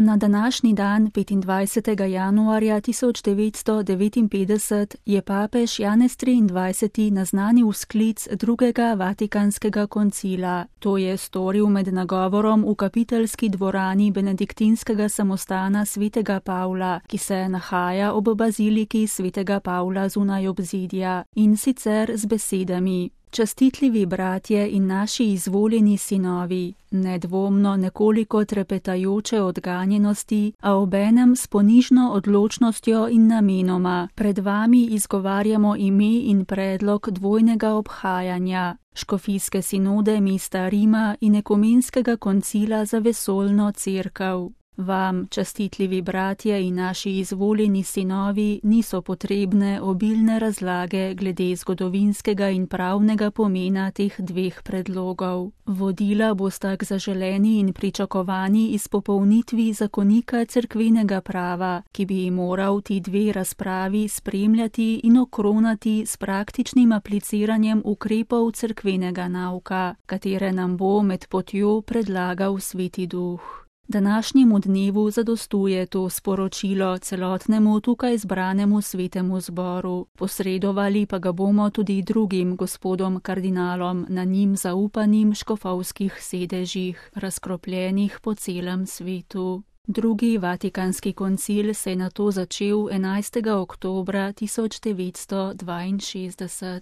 Na današnji dan, 25. januarja 1959, je papež Janez XXIII. Naznanil sklic drugega Vatikanskega koncila. To je storil med nagovorom v kapiteljski dvorani benediktinskega samostana svetega Pavla, ki se nahaja ob baziliki svetega Pavla zunaj obzidja, in sicer z besedami: Častitljivi bratje in naši izvoljeni sinovi, nedvomno nekoliko trepetajoče od ganjenosti, a obenem s ponižno odločnostjo in namenoma, pred vami izgovarjamo ime in predlog dvojnega obhajanja, škofijske sinode mesta Rima in ekumenskega koncila za vesoljno cerkev. Vam, častitljivi bratje in naši izvoljeni sinovi, niso potrebne obilne razlage glede zgodovinskega in pravnega pomena teh dveh predlogov. Vodila bosta k zaželeni in pričakovani izpopolnitvi zakonika cerkvenega prava, ki bi moral ti dve razpravi spremljati in okronati s praktičnim apliciranjem ukrepov cerkvenega nauka, katere nam bo med potjo predlagal Sveti Duh. Današnjemu dnevu zadostuje to sporočilo celotnemu tukaj zbranemu svetemu zboru. Posredovali pa ga bomo tudi drugim gospodom kardinalom na njim zaupanim škofovskih sedežih, razkropljenih po celem svetu. Drugi Vatikanski koncil se je nato začel 11. oktobra 1962.